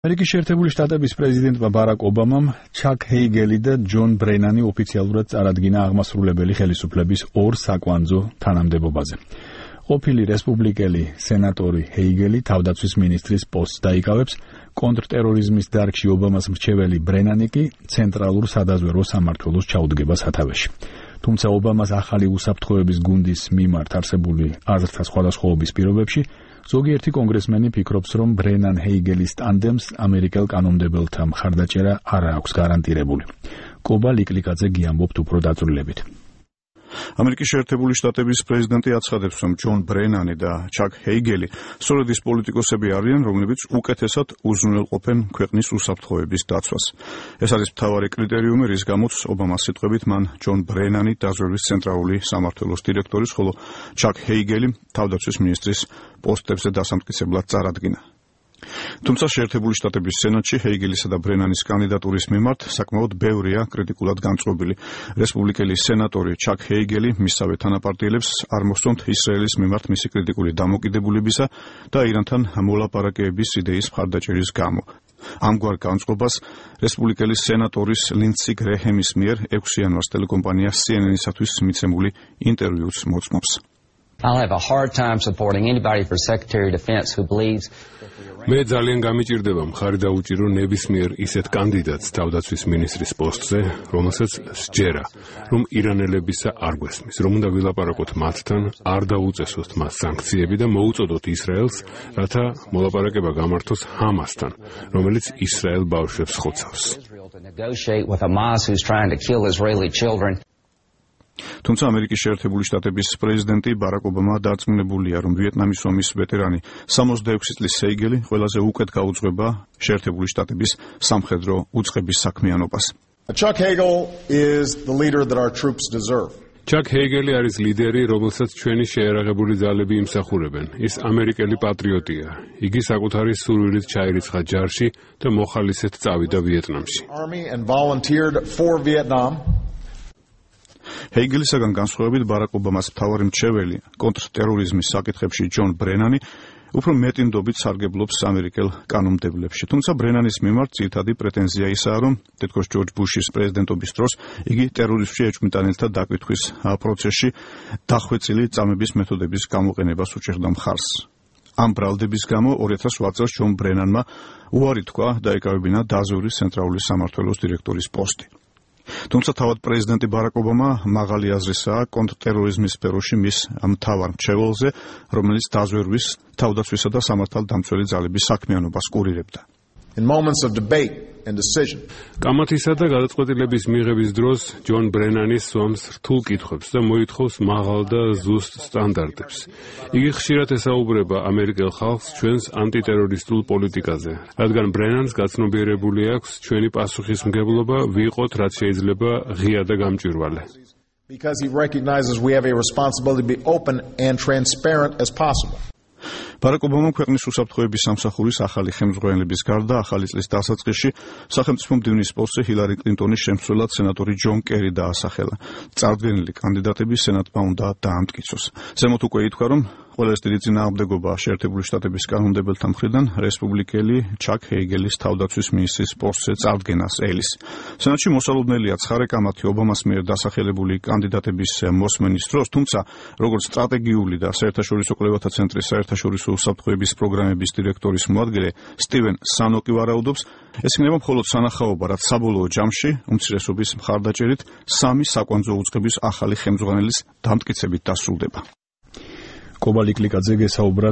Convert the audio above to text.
ამერიკის შეერთებული შტატების პრეზიდენტმა ბარაკ ობამამ ჩაკ ჰეიგელი და ჯონ ბრენანი ოფიციალურად წარადგინა აღმასრულებელი ხელისუფლების ორ საკვანძო თანამდებობაზე. ყოფილი რესპუბლიკელი სენატორი ჰეიგელი თავდაცვის მინისტრის პოსტს დაიკავებს, კონტრტერორიზმის დარგში ობამას მრჩეველი ბრენანი კი ცენტრალურ სადაზვერვო სამმართველოს ჩაუდგება სათავეში. თუმცა ობამას ახალი უსაფრთხოების გუნდის მიმართ არსებული აზრთა სხვადასხვაობის პირობებში ზოგიერთი კონგრესმენი ფიქრობს, რომ ბრენან ჰეიგელის ტანდემს ამერიკელ კანონმდებელთა მხარდაჭერა არ აქვს გარანტირებული. კობა ლიკლიკაძე გიამბობთ უფრო დაწვრილებით. ამერიკის შეერთებული შტატების პრეზიდენტი აცხადებს, რომ ჯონ ბრენანი და ჩაკ ჰეიგელი სწორედ ის პოლიტიკოსები არიან, რომლებიც უკეთესად უზრუნველყოფენ ქვეყნის უსაფრთხოების დაცვას. ეს არის მთავარი კრიტერიუმი, რის გამოც ობამას სიტყვებით მან ჯონ ბრენანი დაზვერვის ცენტრალური სამმართველოს დირექტორის, ხოლო ჩაკ ჰეიგელი თავდაცვის მინისტრის პოსტებზე დასამტკიცებლად წარადგინა. თუმცა შეერთებული შტატების სენატში ჰეიგელისა და ბრენანის კანდიდატურის მიმართ საკმაოდ ბევრია კრიტიკულად განწყობილი. რესპუბლიკელი სენატორი ჩაკ ჰეიგელი მისსავე თანაპარტიელებს არ მოსწონთ ისრაელის მიმართ მისი კრიტიკული დამოკიდებულებისა და ირანთან მოლაპარაკებების იდეის მხარდაჭერის გამო. ამგვარ განწყობას რესპუბლიკელი სენატორის ლინდსი გრეჰემის მიერ 6 იანვარს ტელეკომპანია CNN-ისათვის მიცემული ინტერვიუც მოწმობს. I'll have a hard time supporting anybody for Secretary of Defense who believes მე ძალიან გამიჭირდება მხარი დაუჭირო ნებისმიერ ისეთ კანდიდატს თავდაცვის მინისტრის პოსტზე, რომელსაც სჯერა, რომ ირანელებისა არ გვესმის, რომ უნდა ვილაპარაკოთ მათთან, არ დაუწესოთ მას სანქციები და მოუწოდოთ ისრაელს, რათა მოლაპარაკება გამართოს ჰამასთან, რომელიც ისრაელ ბავშვებს ხოცავს. თუმცა ამერიკის შეერთებული შტატების პრეზიდენტი ბარაკ ობამა დარწმუნებულია, რომ ვიეტნამის ომის ვეტერანი 66 წლის ჰეიგელი ყველაზე უკეთ გაუძღვება შეერთებული შტატების სამხედრო უწყების საქმიანობას. Chuck Hagel is the leader that our troops deserve. ჩაკ ჰეიგელი არის ლიდერი, რომელსაც ჩვენი შეერაღებული ძალები იმსახურებენ. ის ამერიკელი პატრიოტია. იგი საკუთარი სურვილით ჩაირიცხა ჯარში და მოხალისედ წავიდა ვიეტნამში. Army and volunteered for Vietnam. ჰეიგელისაგან განსხვავებით ბარაკ ობამას მთავარი მრჩეველი კონტრტერორიზმის საკითხებში ჯონ ბრენანი უფრო მეტინდობით სარგებლობს ამერიკელ კანონმდებლებში. თუმცა ბრენანის მიმართ ძირითადი პრეტენზია ისაა, რომ თითქოს ჯორჯ ბუშის პრეზიდენტობის დროს იგი ტერორიზმში ეჭვმიტანილთა დაკითხვის პროცესში დახვეწილი წამების მეთოდების გამოყენებას უჭერდა მხარს. ამ ბრალდების გამო 2008 წელს ჯონ ბრენანმა უარი თქვა დაეკავებინა დაზვერვის ცენტრალური სამმართველოს დირექტორის პოსტი. თუმცა თავად პრეზიდენტი ბარაკ ობამა მაღალი აზრისაა კონტრტერორიზმის სფეროში მის მთავარ მრჩეველზე, რომელიც დაზვერვის, თავდაცვისა და სამართალდამცველი ძალების საქმიანობას კურირებდა. In moments of debate and decision. კამათისა და გადაწყვეტილების მიღების დროს ჯონ ბრენანი სვამს რთულ კითხვებს და მოითხოვს მაღალ და ზუსტ სტანდარტებს. იგი ხშირად ესაუბრება ამერიკელ ხალხს ჩვენს ანტიტერორისტულ პოლიტიკაზე, რადგან ბრენანს გაცნობიერებული აქვს ჩვენი პასუხისმგებლობა ვიყოთ რაც შეიძლება ღია და გამჭვირვალე. Because he recognizes we have a responsibility to be open and transparent as possible. ბარაკ ობამამ ქვეყნის უსაფრთხოების სამსახურის ახალი ხელმძღვანელების გარდა ახალი წლის დასაწყისში სახელმწიფო მდივნის პოსტზე ჰილარი კლინტონის შემცვლელად სენატორი ჯონ კერი დაასახელა. წარდგენილი კანდიდატები სენატმა უნდა დაამტკიცოს. ზემოთ უკვე ითქვა, რომ ყველაზე დიდი წინააღმდეგობა შეერთებული შტატების კანონმდებელთა მხრიდან რესპუბლიკელი ჩაკ ჰეიგელის თავდაცვის მინისტრის პოსტზე წარდგენას ელის. სენატში მოსალოდნელია ცხარე კამათი ობამას მიერ დასახელებული კანდიდატების მოსმენის დროს, თუმცა როგორც სტრატეგიული და საერთაშორისო კვლევათა ცენტრის საერთაშორისო უსაფრთხოების პროგრამების დირექტორის მოადგილე სტივენ სანოკი ვარაუდობს, ეს იქნება მხოლოდ სანახაობა, რაც საბოლოო ჯამში უმცირესობის მხარდაჭერით 3 საკვანძო უწყების ახალი ხელმძღვანელის დამტკიცებით დასრულდება. კობა ლიკლიკაძე გესაუბრა